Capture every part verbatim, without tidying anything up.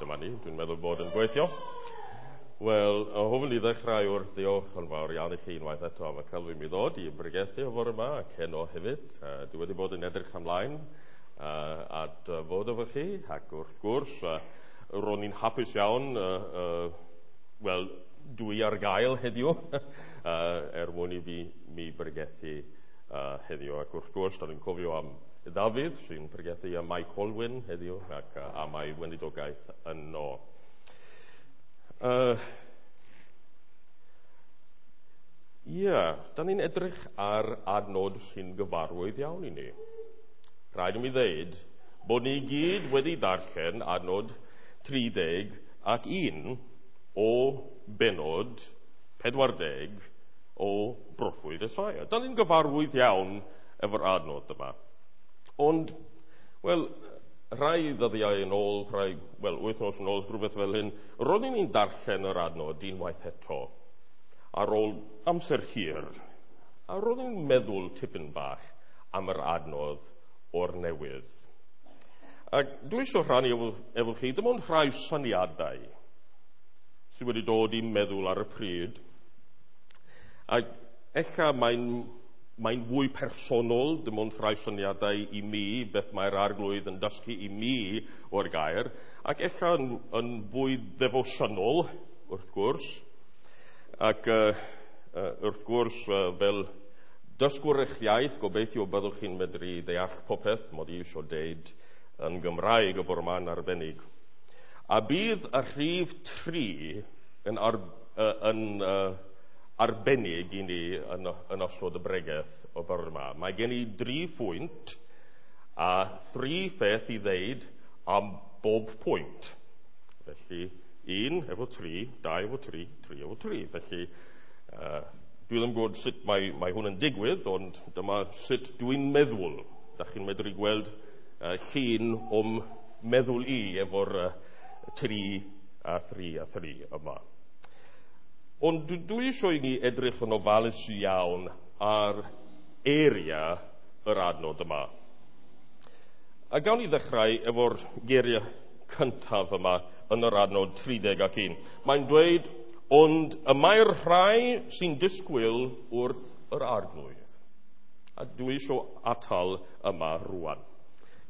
Dyma ni, dwi'n meddwl bod yn gweithio. Wel, hoffwn i ddechrau wrth ddiolch yn fawr iawn i chi unwaith eto am y cael fi mi ddod i bregethu o fore yma ac heno hefyd. Uh, dwi wedi bod yn edrych ymlaen uh, at uh, fod efo chi ac wrth gwrs uh, ro'n i'n hapus iawn, uh, uh, wel, dwi ar gael heddiw uh, er mwyn i fi mi bregethu uh, heddiw. Ac wrth gwrs, da ni'n cofio am Dafydd sy'n pregethu am Mike Colwyn heddiw ac uh, am ei weinidogaeth yno. Yy, Ie, da ni'n edrych ar adnod sy'n gyfarwydd iawn i ni. Rhaid i mi ddeud bod ni gyd wedi darllen adnod tri deg ac un o benod pedwar deg o broffwyd Esaia. Da ni'n gyfarwydd iawn efo'r adnod yma. Ond, wel, rhai ddyddiau yn ôl, rhai, wel, wythnos yn ôl, rhywbeth fel hyn, roeddwn i'n darllen yr adnod unwaith eto, ar ôl amser hir, a roeddwn i'n meddwl tipyn bach am yr adnod o'r newydd. Ac dwi eisiau rhannu efo, efo chi, dim ond rhai syniadau sydd wedi dod i'n meddwl ar y pryd. Ac ella mae'n mae'n fwy personol, dim ond rhai syniadau i mi, beth mae'r arglwydd yn dysgu i mi o'r gair, ac ella yn, yn fwy ddefosiynol, wrth gwrs, ac uh, uh, wrth gwrs, uh, fel dysgwr eich iaith, gobeithio byddwch chi'n medru deall popeth mod i eisiau deud yn Gymraeg y bore yma'n arbennig. A bydd y rhif tri yn, ar, uh, yn uh, arbennig i ni yn, yn ystod y bregeth o bore yma. Mae gen i dri phwynt a thri pheth i ddeud am bob pwynt. Felly, un efo tri, dau efo tri, tri efo tri. Felly, uh, dwi ddim yn gwybod sut mae, mae hwn yn digwydd, ond dyma sut dwi'n meddwl. Da chi'n medru gweld uh, llun o'm meddwl i efo'r uh, tri a thri a thri yma. Ond dwi eisiau i ni edrych yn ofalus iawn ar eiriau yr adnod yma. A gawn ni ddechrau efo'r geiriau cyntaf yma yn yr adnod tri deg ac un. Mae'n dweud, ond y mae'r rhai sy'n disgwyl wrth yr arglwydd. A dwi eisiau atal yma rwan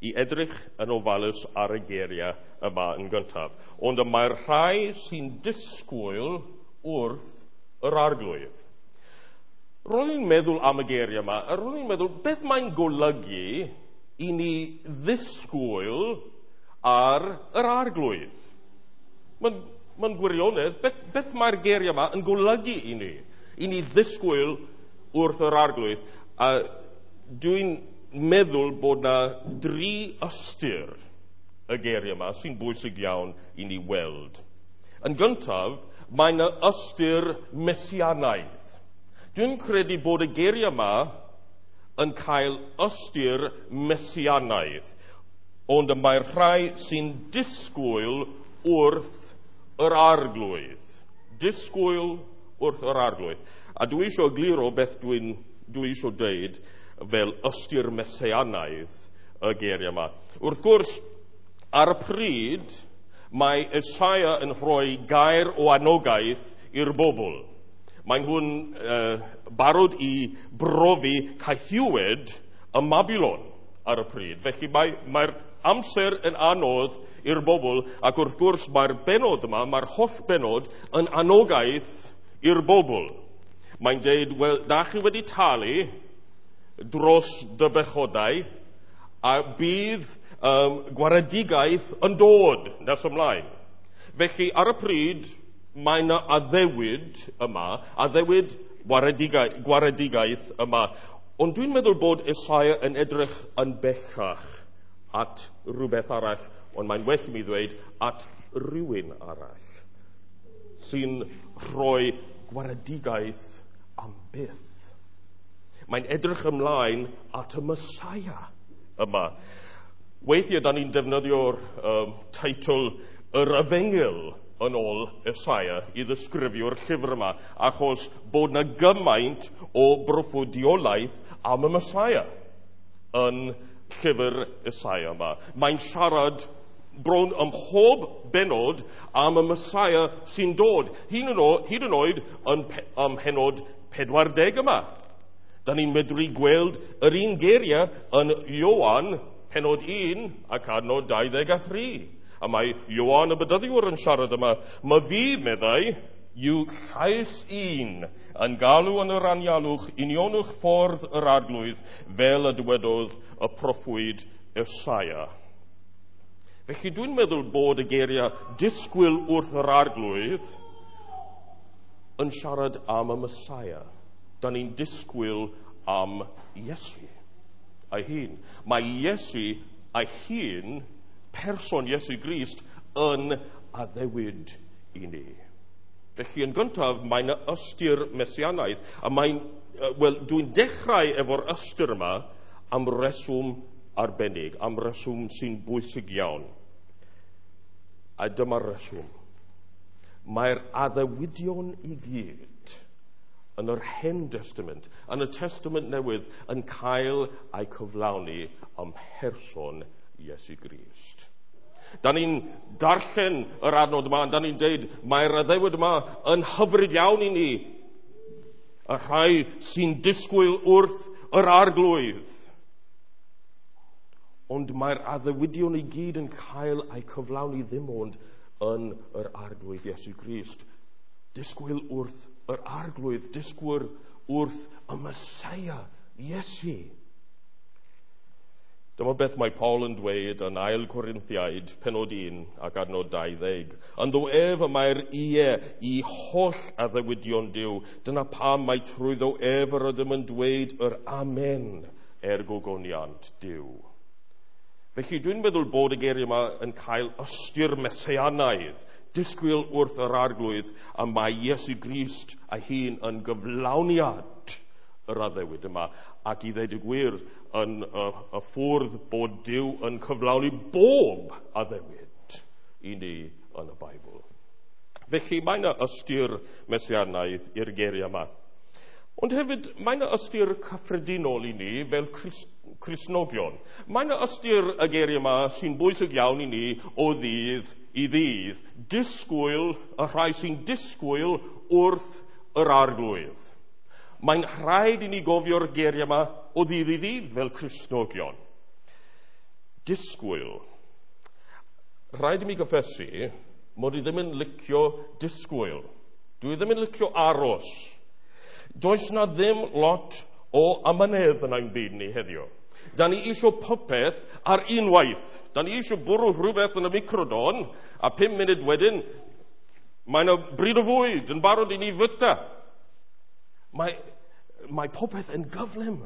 i edrych yn ofalus ar y geiriau yma yn gyntaf. Ond y mae'r rhai sy'n disgwyl wrth yr arglwydd. Ro'n i'n meddwl am y geiriau yma, a ro'n i'n meddwl beth mae'n golygu i ni ddisgwyl ar yr arglwydd. Mae'n mae'n gwirionedd, beth, beth mae'r geiriau yma yn golygu i ni? I ni ddisgwyl wrth yr arglwydd. A dwi'n meddwl bod na dri ystyr y geiriau yma sy'n bwysig iawn i ni weld. Yn gyntaf, mae'n ystyr mesianaidd. Dwi'n credu bod y geiriau yma yn cael ystyr mesianaidd, ond y mae'r rhai sy'n disgwyl wrth yr arglwydd. Disgwyl wrth yr arglwydd. A dwi eisiau egluro beth dwi'n dwi eisiau deud fel ystyr mesianaidd y geiriau yma. Wrth gwrs, ar y pryd, mae Esaia yn rhoi gair o anogaeth i'r bobl. Mae nhw'n uh, barod i brofi caethiwed y Mabilon ar y pryd. Felly mae, mae'r amser yn anodd i'r bobl, ac wrth gwrs mae'r benod yma, mae'r holl benod yn anogaeth i'r bobl. Mae'n deud, wel, da chi wedi talu dros dy bechodau, a bydd um, gwaredigaeth yn dod nes ymlaen. Felly, ar y pryd, mae yna addewid yma, addewid waredigaeth, gwaredigaeth yma. Ond dwi'n meddwl bod Esaia yn edrych yn bellach at rhywbeth arall, ond mae'n well i mi ddweud at rhywun arall sy'n rhoi gwaredigaeth am byth. Mae'n edrych ymlaen at y Mesaia yma. Weithiau, da ni'n defnyddio'r um, teitl yr Efengyl yn ôl Esaia i ddisgrifio'r llyfr yma, achos bod na gymaint o broffwydoliaeth am y Mesaia yn llyfr Esaia yma. Mae'n siarad bron ym mhob benod am y Messiah sy'n dod. Hyd yn, hyd yn oed yn pe, ym mhenod pedwar deg yma. Da ni'n medru gweld yr un geiriau yn Ioan penod un ac adnod dau ddeg a thri. A mae Ioan y Bedyddiwr yn siarad yma. Mae fi, meddai, yw llais un yn galw yn yr anialwch unionwch ffordd yr Arglwydd fel y dywedodd y proffwyd Esaia. Felly dwi'n meddwl bod y geiriau disgwyl wrth yr Arglwydd yn siarad am y Messiah. Da ni'n disgwyl am Iesu ei hun. Mae Iesu ei hun, person Iesu Grist, yn addewid i ni. Felly yn gyntaf, mae'n ystyr mesianaidd. A mae'n, wel, dwi'n dechrau efo'r ystyr yma am reswm arbennig, am reswm sy'n bwysig iawn. A dyma'r reswm. Mae'r addewidion i gyd yn yr Hen Testament, yn y Testament Newydd, yn cael eu cyflawni ym mherson Iesu Grist. Da ni'n darllen yr adnod yma, da ni'n deud mae'r addewid yma yn hyfryd iawn i ni. Y rhai sy'n disgwyl wrth yr Arglwydd. Ond mae'r addewidion i gyd yn cael eu cyflawni ddim ond yn yr Arglwydd Iesu Grist. Disgwyl wrth yr Arglwydd, disgwyl wrth y Messiah, Iesu. Dyma beth mae Paul yn dweud yn Ail Corinthiaid, penod un ac adnod dau ddeg. Ynddo ef y mae'r ie i holl addewidion Duw. Dyna pam mae trwyddo ef yr ydym yn dweud yr amen er gogoniant Duw. Felly dwi'n meddwl bod y geiriau yma yn cael ystyr messianaidd, disgwyl wrth yr Arglwydd, a mae Iesu Grist ei hun yn gyflawniad yr addewid yma, ac i ddweud y gwir yn y, y ffwrdd bod Duw yn cyflawni bob addewid i ni yn y Beibl. Felly mae yna ystyr messianaidd i'r geiriau yma. Ond hefyd mae yna ystyr cyffredinol i ni fel Crist, Cristnogion. Mae yna ystyr y geiriau yma sy'n bwysig iawn i ni o ddydd i ddydd. Disgwyl, y rhai sy'n disgwyl wrth yr Arglwydd. Mae'n rhaid i ni gofio'r geiriau yma o ddydd i ddydd fel Cristnogion. Disgwyl. Rhaid i mi gyffesu mod i ddim yn licio disgwyl. Dwi ddim yn licio aros. Does na ddim lot o amynedd yn ein byd ni heddiw. Da ni eisiau popeth ar unwaith. Da ni eisiau bwrw rhywbeth yn y microdon, a pum munud wedyn, mae yna bryd o fwyd yn barod i ni fyta. Mae, mae popeth yn gyflym.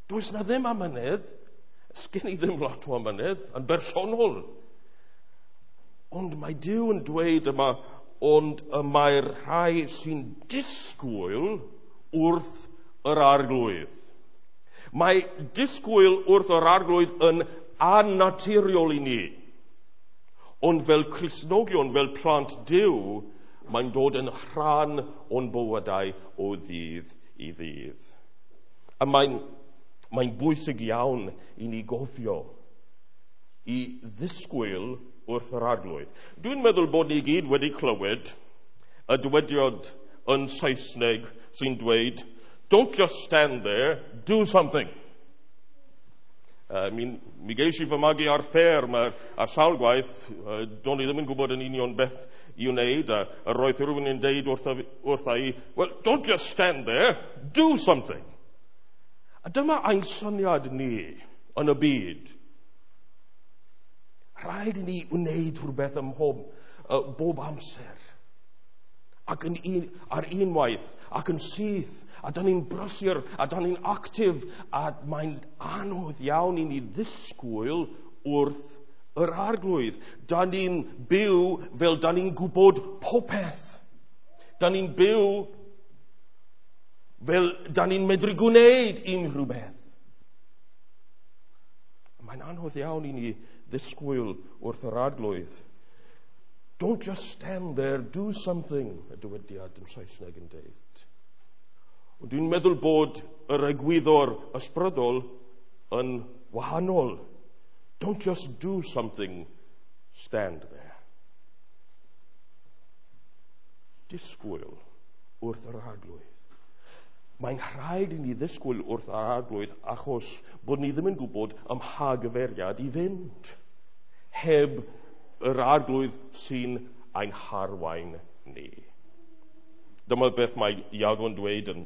Does na ddim amynedd. Sgen i ddim lot o amynedd yn bersonol. Ond mae Duw yn dweud yma, ond y mae'r rhai sy'n disgwyl wrth yr Arglwydd. Mae disgwyl wrth yr Arglwydd yn annaturiol i ni. Ond fel Cristnogion, fel plant Duw, mae'n dod yn rhan o'n bywydau o ddydd i ddydd. A mae'n, mae'n bwysig iawn i ni gofio i ddisgwyl wrth yr Arglwydd. Dwi'n meddwl bod ni gyd wedi clywed y dywediad yn Saesneg sy'n dweud, "Don't just stand there, do something." Uh, mi, mi geis i fy magu ar fferm a, a sawl gwaith, uh, do'n i ddim yn gwybod yn union beth i wneud, a, a roedd rhywun yn deud wrtha, wrtha i, "Well, don't just stand there, do something." A dyma ein syniad ni yn y byd. Rhaid i ni wneud rhywbeth ym mhob, uh, bob amser. Ac yn un, ar unwaith, ac yn syth, a da ni'n brysur, a da ni'n actif, a mae'n anodd iawn i ni ddisgwyl wrth yr Arglwydd. Da ni'n byw fel da ni'n gwybod popeth. Da ni'n byw fel da ni'n medru gwneud unrhyw beth. Mae'n anodd iawn i ni ddisgwyl wrth yr Arglwydd. "Don't just stand there, do something," y dywediad yn Saesneg yn deud. Ond dwi'n meddwl bod yr egwyddor ysbrydol yn wahanol. Don't just do something, Stand there. Disgwyl wrth yr Arglwydd. Mae'n rhaid i ni ddisgwyl wrth yr Arglwydd achos bod ni ddim yn gwybod ym mha gyfeiriad i fynd heb yr Arglwydd sy'n ein harwain ni. Dyma beth mae Iago'n dweud yn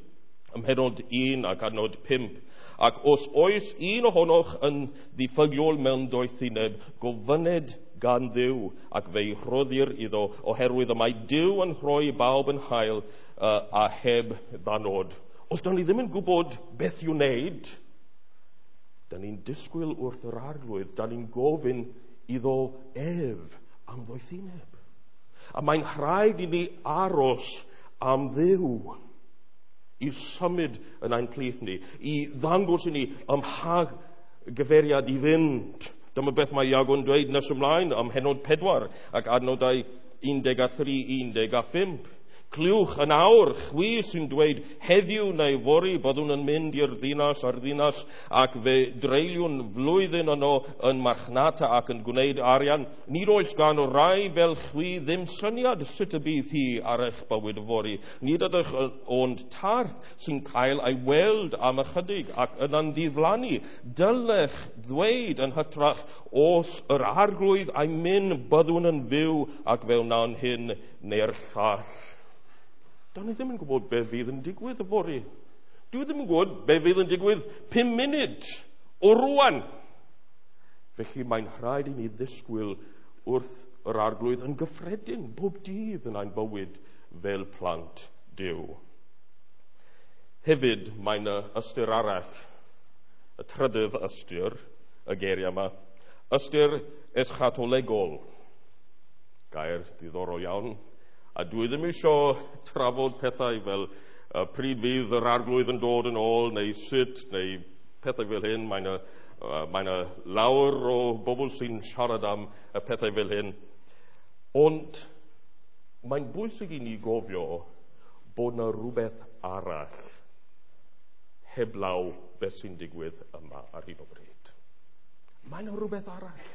ym mhennod un ac adnod pump. Ac os oes un ohonoch yn ddiffygiol mewn doethineb, gofynned gan Dduw ac fe'i rhoddir iddo, oherwydd y mae Duw yn rhoi bawb yn hael uh, a heb ddanod. Os da ni ddim yn gwybod beth i'w wneud, da ni'n disgwyl wrth yr Arglwydd, da ni'n gofyn iddo ef am ddoethineb. A mae'n rhaid i ni aros am Dduw i symud yn ein plith ni, i ddangos i ni ym mha gyfeiriad i fynd. Dyma beth mae Iago'n dweud nes ymlaen am hennod pedwar ac adnodau un deg a thri, un deg a phump. Clywch yn awr, chwi sy'n dweud, heddiw neu fory byddwn yn mynd i'r ddinas a'r ddinas ac fe dreuliwn flwyddyn yno yn marchnata ac yn gwneud arian. Nid oes gan o rai fel chwi ddim syniad sut y bydd hi ar eich bywyd fory. Nid ydych ond tarth sy'n cael ei weld am ychydig ac yna'n ddiflannu. Dylech ddweud yn hytrach, os yr Arglwydd a'i myn byddwn yn fyw ac fe wnawn hyn neu'r llall. Da ni ddim yn gwybod be fydd yn digwydd yfory. Dwi ddim yn gwybod be fydd yn digwydd pum munud o rwan. Felly mae'n rhaid i ni ddisgwyl wrth yr Arglwydd yn gyffredin bob dydd yn ein bywyd fel plant Duw. Hefyd mae'n ystyr arall, y trydydd ystyr, y geiriau yma, ystyr eschatolegol. Gair diddorol iawn. A dwi ddim eisiau trafod pethau fel uh, pryd fydd yr Arglwydd yn dod yn ôl, neu sut, neu pethau fel hyn. Mae yna, uh, mae yna lawer o bobl sy'n siarad am y pethau fel hyn. Ond mae'n bwysig i ni gofio bod yna rhywbeth arall heblaw beth sy'n digwydd yma ar hyn o bryd. Mae yna rhywbeth arall.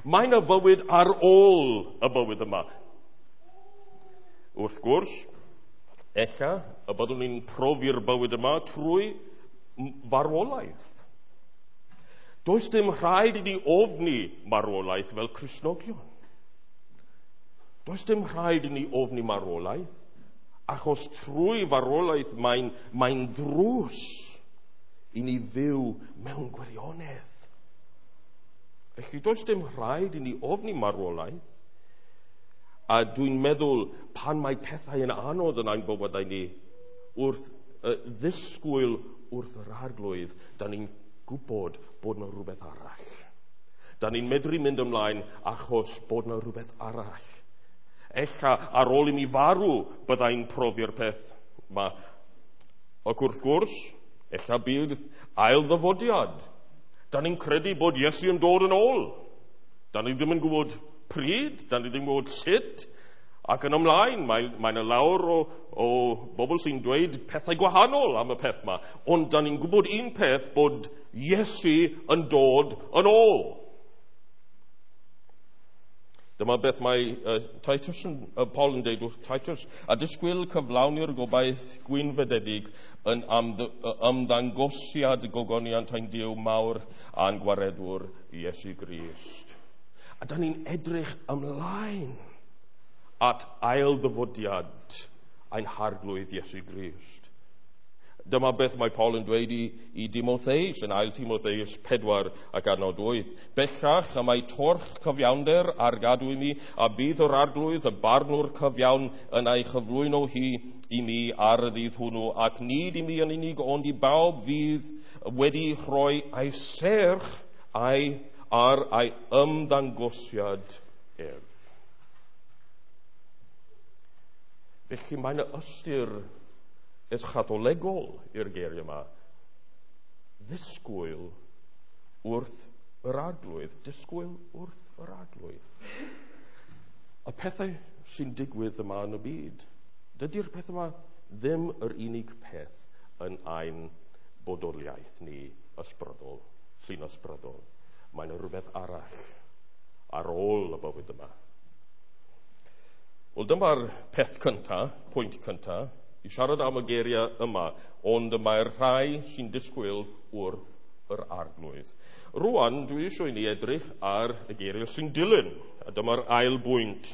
Mae yna fywyd ar ôl y bywyd yma. Wrth gwrs, ella y byddwn ni'n profi'r bywyd yma trwy farwolaeth. Does dim rhaid i ni ofni marwolaeth fel Cristnogion. Does dim rhaid i ni ofni marwolaeth, achos trwy farwolaeth mae'n, mae'n ddrws i ni fyw mewn gwirionedd. Felly does dim rhaid i ni ofni marwolaeth. A dwi'n meddwl pan mae pethau yn anodd yn ein bywydau ni, wrth uh, ddisgwyl wrth yr Arglwydd, da ni'n gwybod bod yna rhywbeth arall. Da ni'n medru mynd ymlaen achos bod yna rhywbeth arall. Ella ar ôl i mi farw byddai'n profi'r peth yma. Ac wrth gwrs, ella bydd ail ddyfodiad. Da ni'n credu bod Iesu yn dod yn ôl. Da ni ddim yn gwybod pryd, da ni ddim yn gwybod sut, ac yn ymlaen, mae, mae yna lawer o, o bobl sy'n dweud pethau gwahanol am y peth yma. Ond da ni'n gwybod un peth, bod Iesu yn dod yn ôl. Dyma beth mae uh, Titus yn, uh, Paul yn dweud wrth Titus, a disgwyl cyflawni'r gobaith gwynfydedig yn ymddangosiad gogoniant ein Duw mawr a'n gwaredwr Iesu Grist. A da ni'n edrych ymlaen at ail ddyfodiad ein Harglwydd Iesu Grist. Dyma beth mae Paul yn dweud i, i Dimotheus yn ail Timotheus pedwar ac adnod wyth. Bellach y mae torch cyfiawnder ar gadw i mi, a bydd yr Arglwydd y barnwr cyfiawn yn ei chyflwyno hi i mi ar y ddydd hwnnw, ac nid i mi yn unig, ond i bawb fydd wedi rhoi ei serch a'i ar ei ymddangosiad ef. Felly mae'n ystyr eschatolegol i'r geiriau yma. Ddisgwyl wrth yr Arglwydd. Disgwyl wrth yr Arglwydd. Y pethau sy'n digwydd yma yn y byd, dydy'r peth yma ddim yr unig peth yn ein bodoliaeth ni ysbrydol, sy'n ysbrydol. Mae'n rhywbeth arall ar ôl y bywyd yma. Wel, dyma'r peth cyntaf, pwynt cyntaf, i siarad am y geiriau yma, ond y mae'r rhai sy'n disgwyl wrth yr Arglwydd. Rwan, dwi eisiau i ni edrych ar y geiriau sy'n dilyn, a dyma'r ail bwynt.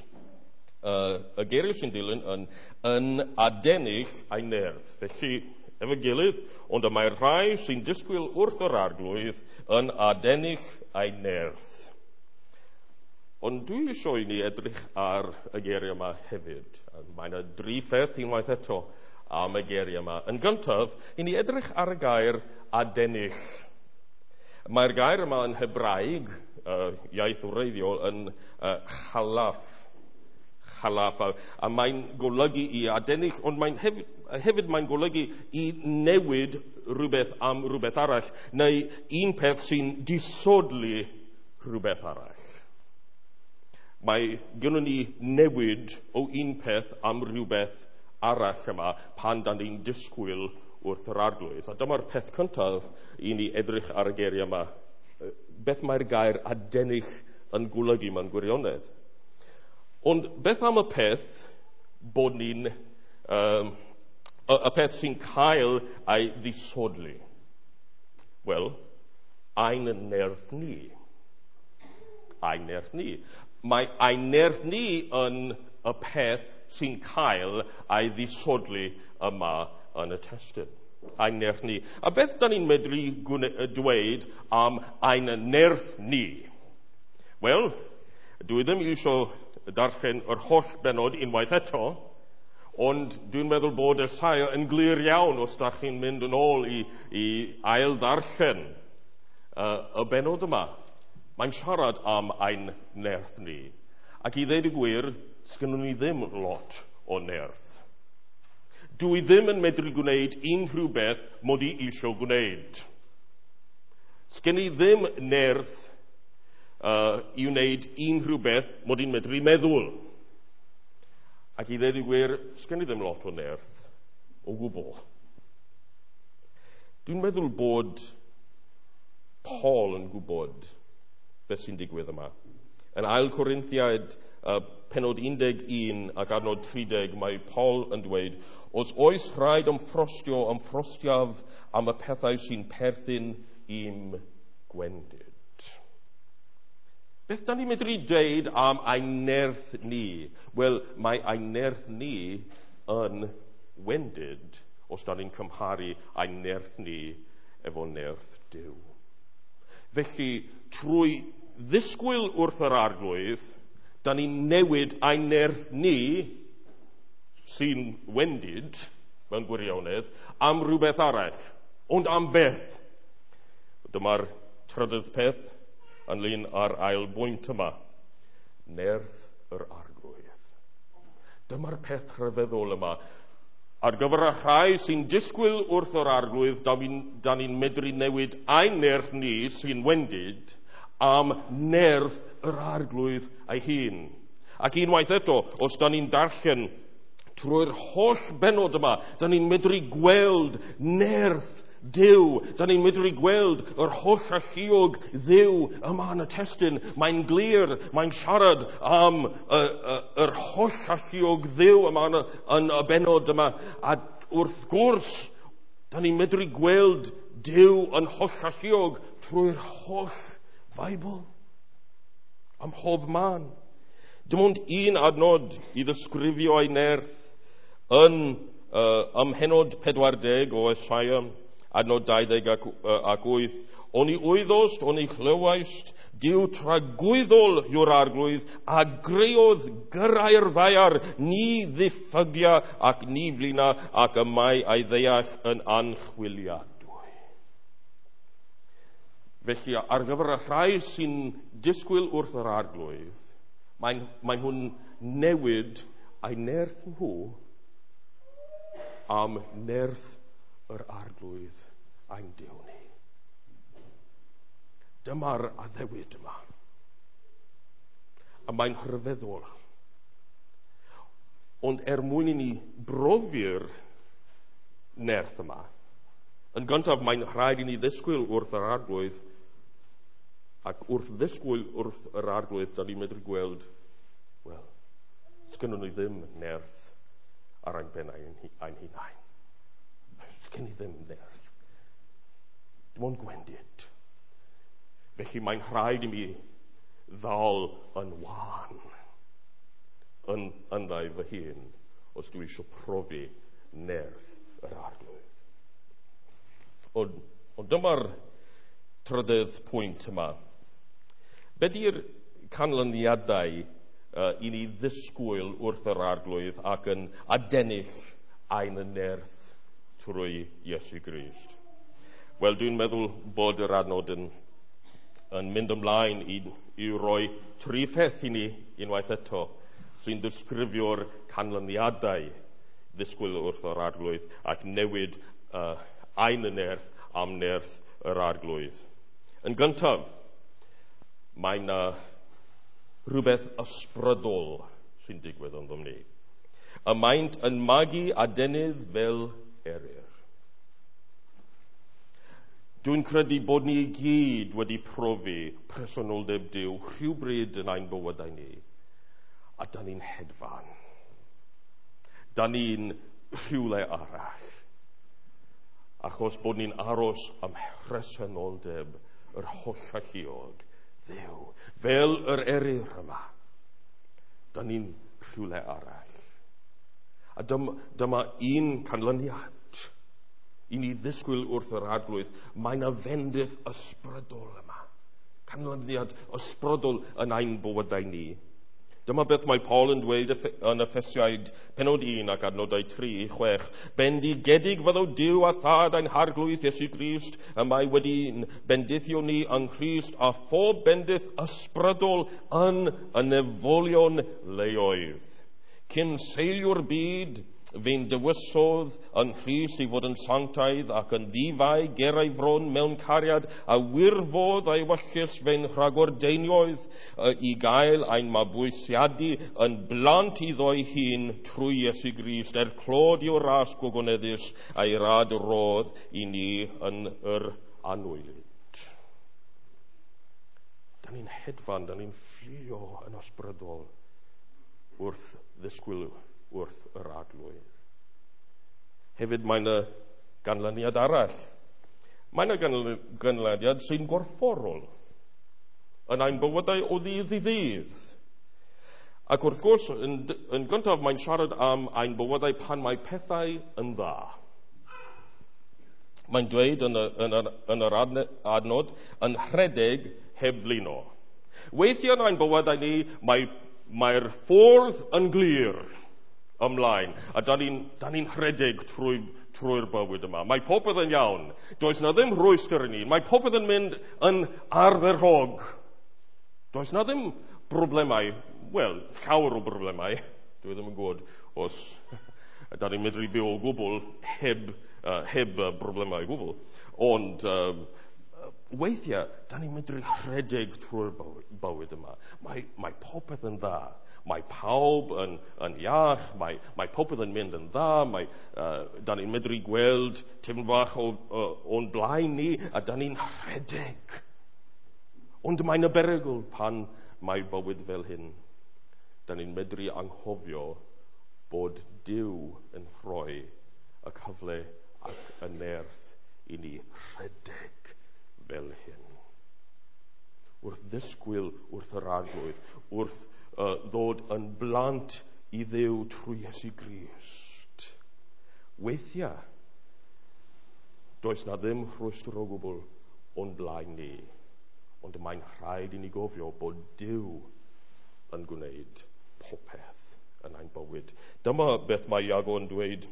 Uh, y geiriau sy'n dilyn yn, yn adennill a'i nerth. Felly, efo gilydd, ond y mae'r rhai sy'n disgwyl wrth yr Arglwydd yn adennill a'i nerth. Ond dwi eisiau i ni edrych ar y geiriau yma hefyd. Mae yna dri pheth unwaith eto am y geiriau yma. Yn gyntaf, i ni edrych ar y gair adennill. Mae'r gair yma yn Hebraeg, uh, iaith wreiddiol, yn uh, chalaf. Chalaf, a, a mae'n golygu i adennill, ond mae'n hefyd, hefyd mae'n golygu i newid rhywbeth am rhywbeth arall, neu un peth sy'n disodli rhywbeth arall. Mae gynnon ni newid o un peth am rhywbeth arall yma pan dan ni'n disgwyl wrth yr Arglwydd. A dyma'r peth cyntaf i ni edrych ar y geiriau yma. Beth mae'r gair adennill yn golygu mewn gwirionedd? Ond beth am y peth bod ni'n, um, y, y peth sy'n cael ei ddisodli? Wel, ein nerth ni. Ein nerth ni. Mae ein nerth ni yn y peth sy'n cael ei ddisodli yma yn y testun. Ein nerth ni. A beth da ni'n medru dweud am ein nerth ni? Wel, dwi ddim eisiau darllen yr holl benod unwaith eto, ond dwi'n meddwl bod Esaia yn glir iawn os da chi'n mynd yn ôl i, i ail ddarllen uh, y benod yma. Mae'n siarad am ein nerth ni. Ac i ddweud y gwir, sgynnon ni ddim lot o nerth. Dwi ddim yn medru gwneud unrhyw beth mod i eisiau gwneud. Sgen i ddim nerth uh, i wneud unrhyw beth mod i'n medru meddwl. Ac i ddweud y gwir, sgen i ddim lot o nerth o gwbl. Dwi'n meddwl bod Paul yn gwybod beth sy'n digwydd yma. Yn ail Corinthiaid, uh, penod un deg un ac adnod tri deg, mae Paul yn dweud, os oes rhaid ymffrostio, ymffrostiaf am y pethau sy'n perthyn i'm gwendid. Beth da ni'n medru dweud am ein nerth ni? Wel, mae ein nerth ni yn wendid os da ni'n cymharu ein nerth ni efo nerth Duw. Felly, trwy ddisgwyl wrth yr Arglwydd, da ni'n newid ein nerth ni, sy'n wendid mewn gwirionedd, am rhywbeth arall. Ond am beth? Dyma'r trydydd peth ynglyn â'r ail bwynt yma. Nerth yr Arglwydd. Dyma'r peth rhyfeddol yma. Ar gyfer y rhai sy'n disgwyl wrth yr Arglwydd, da ni'n ni medru newid ein nerth ni sy'n wendid am nerth yr Arglwydd ei hun. Ac unwaith eto, os da ni'n darllen trwy'r holl benod yma, da ni'n medru gweld nerth Duw. Da ni'n medru gweld yr holl alluog Dduw yma yn y testun. Mae'n glir, mae'n siarad am y, y, yr holl alluog Dduw yma yn y, yn y benod yma. A wrth gwrs, da ni'n medru gweld Duw yn holl alluog trwy'r holl Feibl, am hob man. Dim ond un adnod i ddisgrifio ei nerth yn uh, ym mhennod pedwar deg o Esaia, adnod dau ddeg ac, uh, ac wyth. Oni wyddost, oni chlywaist, Duw tragwyddol yw'r Arglwydd, a greodd gyrrau'r ddaear, ni ddiffygia ac ni flina, ac y mae ei ddeall yn anchwiliadwy. Felly, ar gyfer y rhai sy'n disgwyl wrth yr Arglwydd, mae'n mae nhw'n newid ei nerth nhw am nerth yr Arglwydd ein Duw ni. Dyma'r addewid yma. A mae'n rhyfeddol. Ond er mwyn i ni brofi'r nerth yma, yn gyntaf mae'n rhaid i ni ddisgwyl wrth yr Arglwydd, Ac wrth ddisgwyl wrth yr Arglwydd, da ni'n medru gweld, wel, sgynnon ni ddim nerth ar ein pennau ein hunain. Sgyn ni ddim nerth. Dim ond gwendid. Felly mae'n rhaid i mi ddal yn wan yn ynddo fy hun os dwi eisiau profi nerth yr Arglwydd. Ond, ond dyma'r trydydd pwynt yma. Be di'r canlyniadau uh, i ni ddisgwyl wrth yr Arglwydd ac yn adennill ein nerth trwy Iesu Grist? Wel, dwi'n meddwl bod yr adnod yn, yn mynd ymlaen i, i roi tri pheth i ni unwaith eto sy'n disgrifio'r canlyniadau ddisgwyl wrth yr Arglwydd ac newid uh, ein nerth am nerth yr Arglwydd. Yn gyntaf, mae yna rhywbeth ysbrydol sy'n digwydd ynddo ni. Y maent yn magu adenydd fel eryr. Dwi'n credu bod ni i gyd wedi profi presenoldeb Duw rhywbryd yn ein bywydau ni. A da ni'n hedfan. Da ni'n rhywle arall. Achos bod ni'n aros am presenoldeb yr hollalluog Dduw, fel yr eryr yma. Da ni'n rhywle arall. A dyma, dyma un canlyniad i ni ddisgwyl wrth yr Arglwydd. Mae yna fendith ysbrydol yma. Canlyniad ysbrydol yn ein bywydau ni. Dyma beth mae Paul yn dweud yn Effesiaid penod un ac adnodau tri i chwech. Bendigedig fyddo Duw a Thad ein Harglwydd Iesu Grist, y mae wedi'n bendithio ni yng Nghrist a phob bendith ysbrydol yn y nefolion leoedd. Cyn seilio'r byd, fe'n dewisodd yng Nghrist i fod yn sanctaidd ac yn ddifai ger ei fron mewn cariad a wirfodd a'i ewyllys fe'n rhagordeinioedd i gael ein mabwysiadu yn blant iddo'i hun trwy Iesu Grist er clod i'w ras gogoneddus a'i rad rodd i ni yn yr anwylyd. Da ni'n hedfan, da ni'n fflio yn ysbrydol wrth ddisgwyl wrth yr Arglwydd. Hefyd mae yna ganlyniad arall. Mae yna ganlyniad sy'n gorfforol yn ein bywydau o ddydd i ddydd. Ac wrth gwrs, yn, yn gyntaf mae'n siarad am ein bywydau pan mae pethau yn dda. Mae'n dweud yn, y, yn, yr, yn yr adnod, yn rhedeg heb flino. Weithiau yn ein bywydau ni, mae, mae'r ffordd yn glir ymlaen, a da ni'n ni rhedeg trwy, trwy'r bywyd yma. Mae popeth yn iawn. Does na ddim rhwystr i ni. Mae popeth yn mynd yn ardderchog. Does na ddim broblemau, wel, llawer o broblemau. Dwi ddim yn gwybod os da ni'n medru byw o gwbl heb, uh, heb uh, broblemau o gwbl. Ond uh, weithiau, da ni'n medru rhedeg trwy'r bywyd yma. Mae, mae popeth yn dda. Mae pawb yn, yn iach, mae, mae popeth yn mynd yn dda, mae, uh, da ni'n medru gweld tipyn bach o, o, o'n blaen ni, a da ni'n rhedeg. Ond mae'n y berygl pan mae bywyd fel hyn. Da ni'n medru anghofio bod Duw yn rhoi y cyfle ac y nerth i ni rhedeg fel hyn. Wrth ddisgwyl wrth yr Arglwydd, wrth Uh, ddod yn blant i Dduw trwy Iesu Grist. Weithiau, does na ddim rhwystr o gwbl o'n blaen ni, ond mae'n rhaid i ni gofio bod Duw yn gwneud popeth yn ein bywyd. Dyma beth mae Iago yn dweud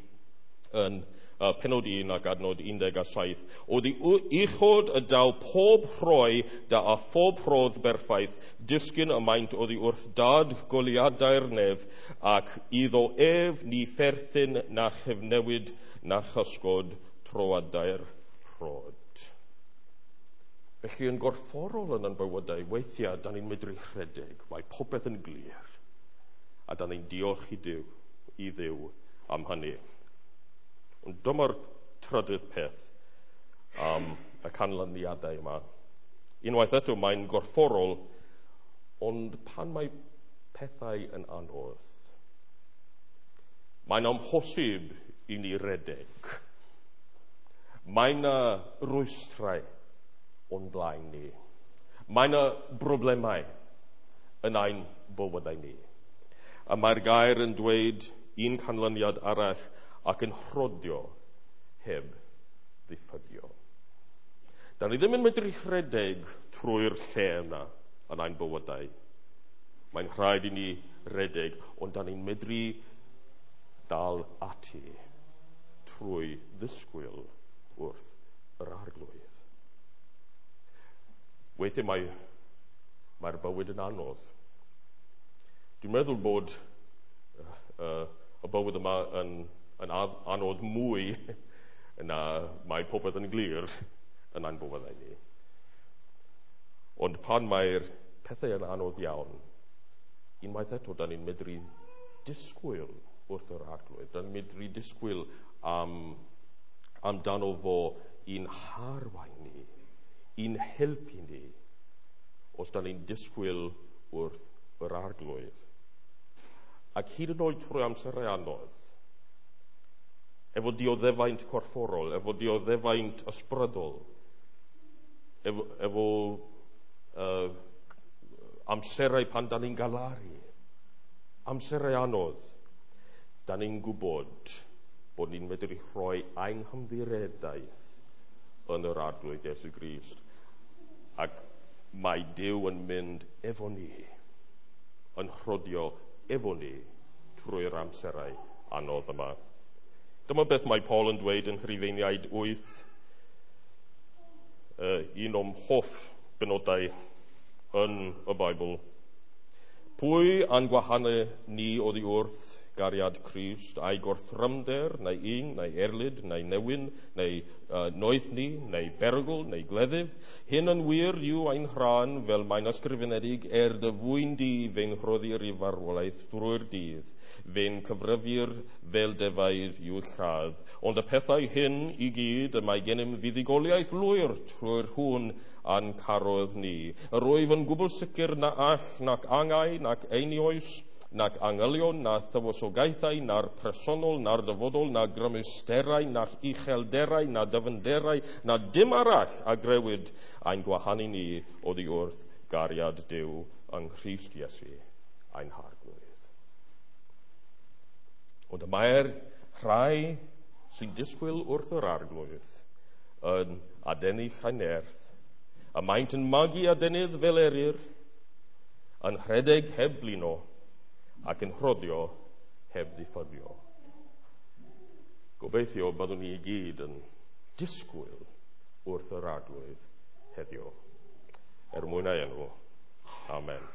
yn uh, penod un ac adnod un deg a saith. Oddi uchod y daw pob rhoi da a phob rhodd berffaith, disgyn y maint oddi wrth dad goliadau'r nef, ac iddo ef ni pherthyn na chyfnewid na chysgod troadau'r rhod. Felly yn gorfforol yn ein bywydau, weithiau da ni'n medru rhedeg, mae popeth yn glir, a da ni'n diolch i Duw, i Dduw am hynny. Ond dyma'r trydydd peth am y canlyniadau yma. Unwaith eto mae'n gorfforol, ond pan mae pethau yn anodd, mae'n amhosib i ni redeg. Mae yna rwystrau o'n blaen ni. Mae yna broblemau yn ein bywydau ni. A mae'r gair yn dweud un canlyniad arall ac yn rhodio heb ddiffygio. Da ni ddim yn medru rhedeg trwy'r lle yna yn ein bywydau. Mae'n rhaid i ni redeg, ond da ni'n medru dal ati trwy ddisgwyl wrth yr Arglwydd. Weithiau mae, mae'r bywyd yn anodd. Dwi'n meddwl bod uh, y bywyd yma yn, yn anodd mwy na mae popeth yn glir yn ein bywydau ni. Ond pan mae'r pethau yn anodd iawn, unwaith eto, da ni'n medru disgwyl wrth yr Arglwydd. Da ni'n medru disgwyl am, amdano fo i'n harwain ni, i'n helpu ni, os da ni'n disgwyl wrth yr Arglwydd. Ac hyd yn oed trwy amserau anodd, efo dioddefaint corfforol, efo dioddefaint ysbrydol, efo, efo uh, amserau pan da ni'n galaru, amserau anodd, da ni'n gwybod bod ni'n medru rhoi ein hymddiredaeth yn yr Arglwydd Iesu Grist. Ac mae Duw yn mynd efo ni, yn rhodio efo ni trwy'r amserau anodd yma. Dyma beth mae Paul yn dweud yn Rhufeiniaid wyth, uh, un o'm hoff benodau yn y Beibl. Pwy a'n gwahanu ni oddi wrth gariad Crist, a'i gorthrymder, neu un, neu erlid, neu newyn, neu uh, noethni, neu berygl, neu gleddyf. Hyn yn wir yw ein rhan, fel mae'n ysgrifenedig, er dy fwyn di fe'n rhoddir i farwolaeth drwy'r dydd, fe'n cyfrifir fel defaid i'w lladd. Ond y pethau hyn i gyd y mae gennym fuddugoliaeth lwyr trwy'r hwn a'n carodd ni. Yr wyf yn gwbl sicr na all, nac angau, nac einioes, nac angylion, na thywysogaethau, na'r presennol, na'r dyfodol, na grymusterau, na'r uchelderau, na dyfnderau, na dim arall a grewyd ein gwahanu ni oddi wrth gariad Duw yng Nghrist Iesu, ein Harglwydd. Ond y mae'r rhai sy'n disgwyl wrth yr Arglwydd yn adennill eu nerth, y maent yn magu adenydd fel eryr, yn rhedeg heb flino, ac yn rhodio heb ddiffygio. Gobeithio byddwn ni i gyd yn disgwyl wrth yr Arglwydd heddiw. Er mwyn ei enw. Amen.